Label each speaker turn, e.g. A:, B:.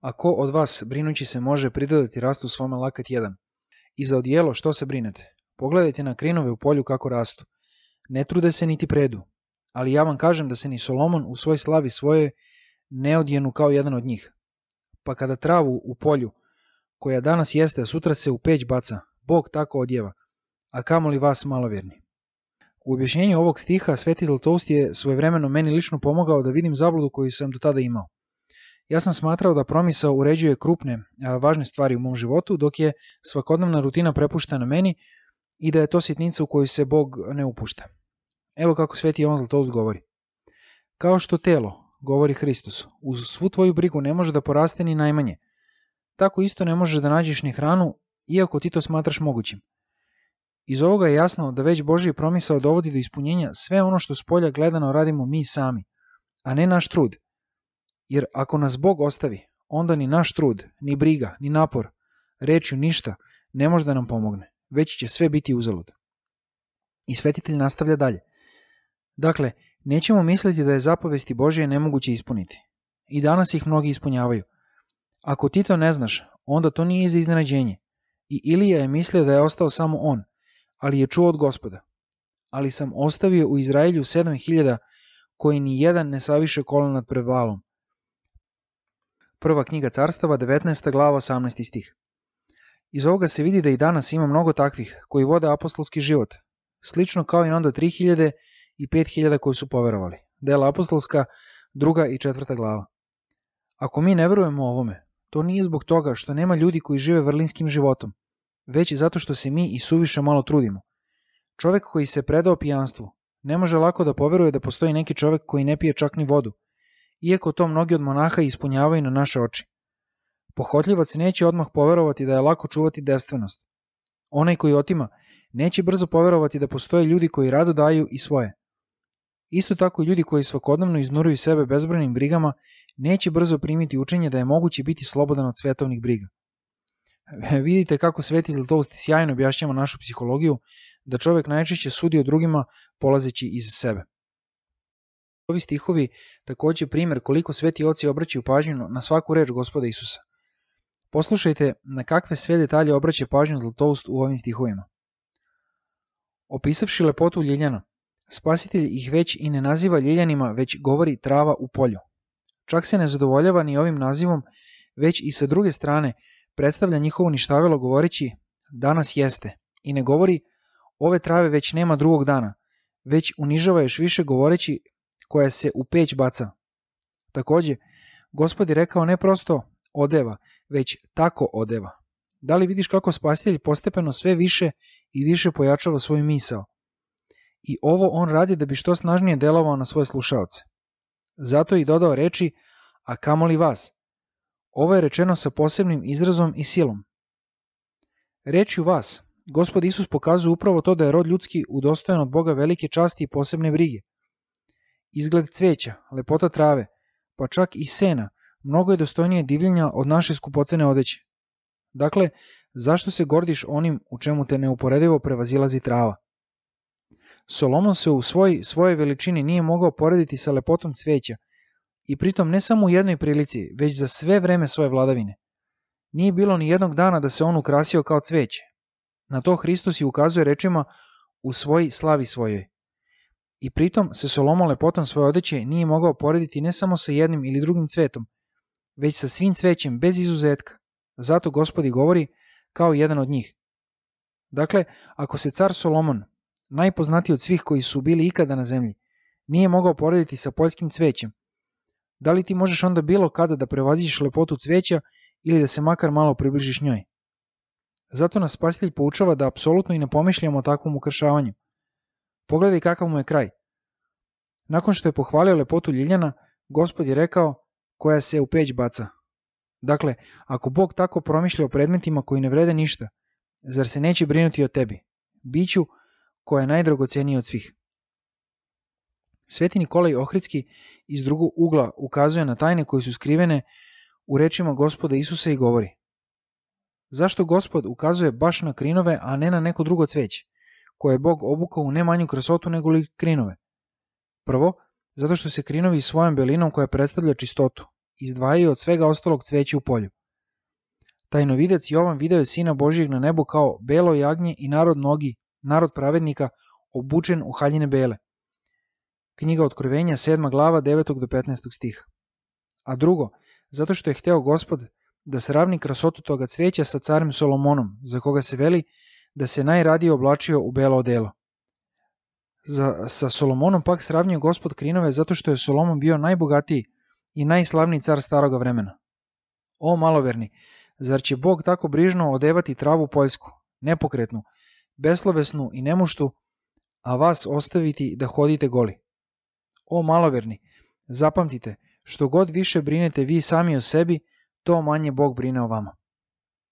A: A ko od vas, brinući se, može pridodati rastu svome lakat jedan? I za odijelo što se brinete? Pogledajte na krinove u polju kako rastu. Ne trude se niti predu. Ali ja vam kažem da se ni Solomon u svoj slavi svojoj ne odjenu kao jedan od njih. Pa kada travu u polju, koja danas jeste, a sutra se u peć baca, Bog tako odjeva, a kamoli vas malovjerni. U objašnjenju ovog stiha Sveti Zlatoust je svojevremeno meni lično pomogao da vidim zabludu koju sam do tada imao. Ja sam smatrao da promisao uređuje krupne, važne stvari u mom životu, dok je svakodnevna rutina prepuštena meni i da je to sitnica u koju se Bog ne upušta. Evo kako Sveti Jovan Zlatoust govori. Kao što telo, govori Hristos, uz svu tvoju brigu ne može da poraste ni najmanje, tako isto ne možeš da nađeš ni hranu, iako ti to smatraš mogućim. Iz ovoga je jasno da već Božji promisao dovodi do ispunjenja sve ono što s polja gledano radimo mi sami, a ne naš trud. Jer ako nas Bog ostavi, onda ni naš trud, ni briga, ni napor, rečju ništa, ne može da nam pomogne, već će sve biti uzalud. I svetitelj nastavlja dalje. Dakle, nećemo misliti da je zapovesti Božje nemoguće ispuniti. I danas ih mnogi ispunjavaju. Ako ti to ne znaš, onda to nije za iznenađenje. I Ilija je mislio da je ostao samo on, ali je čuo od Gospoda. Ali sam ostavio u Izraelju 7.000 koji ni jedan ne saviše kolan nad pred Baalom. Prva knjiga Carstava, 19. glava, 18. stih. Iz ovoga se vidi da i danas ima mnogo takvih koji vode apostolski život, slično kao i onda 3.000 i 5.000 koji su poverovali. Dela apostolska, 2. i 4. glava. Ako mi ne verujemo ovome, to nije zbog toga što nema ljudi koji žive vrlinskim životom, već zato što se mi i suviše malo trudimo. Čovek koji se predao pijanstvu ne može lako da poveruje da postoji neki čovek koji ne pije čak ni vodu, iako to mnogi od monaha ispunjavaju na naše oči. Pohotljivac neće odmah poverovati da je lako čuvati devstvenost. Onaj koji otima neće brzo poverovati da postoje ljudi koji rado daju i svoje. Isto tako i ljudi koji svakodnevno iznuruju sebe bezbrojnim brigama neće brzo primiti učenje da je moguće biti slobodan od svetovnih briga. Vidite kako Sveti Zlatoust sjajno objašnjava našu psihologiju, da čovek najčešće sudi o drugima polazeći iz sebe. Ovi stihovi takođe primer koliko sveti oci obraćaju pažnju na svaku reč Gospoda Isusa. Poslušajte na kakve sve detalje obraća pažnju Zlatoust u ovim stihovima. Opisavši lepotu ljiljana, Spasitelj ih već i ne naziva ljiljanima, već govori trava u polju. Čak se ne zadovoljava ni ovim nazivom, već i sa druge strane predstavlja njihovo ništavilo govoreći danas jeste i ne govori ove trave već nema drugog dana, već unižava još više govoreći koja se u peć baca. Takođe, Gospod je rekao ne prosto odeva, već tako odeva. Da li vidiš kako Spasitelj postepeno sve više i više pojačava svoju misao? I ovo on radi da bi što snažnije delovao na svoje slušaoce. Zato je i dodao reči, a kamoli vas. Ovo je rečeno sa posebnim izrazom i silom. Rečju vas, Gospod Isus pokazuje upravo to da je rod ljudski udostojan od Boga velike časti i posebne brige. Izgled cveća, lepota trave, pa čak i sena, mnogo je dostojnije divljenja od naše skupocene odeće. Dakle, zašto se gordiš onim u čemu te neuporedivo prevazilazi trava? Solomon se u svojoj veličini nije mogao porediti sa lepotom cveća i pritom ne samo u jednoj prilici, već za sve vreme svoje vladavine. Nije bilo ni jednog dana da se on ukrasio kao cveće. Na to Hristos i ukazuje rečima u svoj slavi svojoj. I pritom se Solomon lepotom svoje odeće nije mogao porediti ne samo sa jednim ili drugim cvetom, već sa svim cvećem bez izuzetka. Zato Gospodi govori kao jedan od njih. Dakle, ako se car Solomon, najpoznatiji od svih koji su bili ikada na zemlji, nije mogao porediti sa poljskim cvećem, da li ti možeš onda bilo kada da prevaziđeš lepotu cveća ili da se makar malo približiš njoj? Zato nas Spasitelj poučava da apsolutno i ne pomišljamo o takvom ukršavanju. Pogledaj kakav mu je kraj. Nakon što je pohvalio lepotu ljiljana, Gospod je rekao koja se u peć baca. Dakle, ako Bog tako promišlja o predmetima koji ne vrede ništa, zar se neće brinuti o tebi, biću koja je najdragocenija od svih? Sveti Nikolaj Ohridski iz drugog ugla ukazuje na tajne koje su skrivene u rečima Gospoda Isusa i govori: zašto Gospod ukazuje baš na krinove, a ne na neko drugo cveće, koje je Bog obukao u ne manju krasotu nego li krinove? Prvo, zato što se krinovi svojom belinom koja predstavlja čistotu, izdvajaju od svega ostalog cveće u polju. Tajnovidac Jovan video je Sina Božijeg na nebu kao belo jagnje i narod pravednika obučen u haljine bele. Knjiga Otkrovenja, 7. glava, 9. do 15. stiha. A drugo, zato što je hteo Gospod da sravni krasotu toga cveća sa carem Solomonom, za koga se veli da se najradije oblačio u belo odelo. Sa Solomonom pak sravnio Gospod krinove zato što je Solomon bio najbogatiji i najslavniji car staroga vremena. O maloverni, zar će Bog tako brižno odevati travu poljsku, nepokretnu, beslovesnu i nemuštu, a vas ostaviti da hodite goli? O maloverni, zapamtite, što god više brinete vi sami o sebi, to manje Bog brine o vama.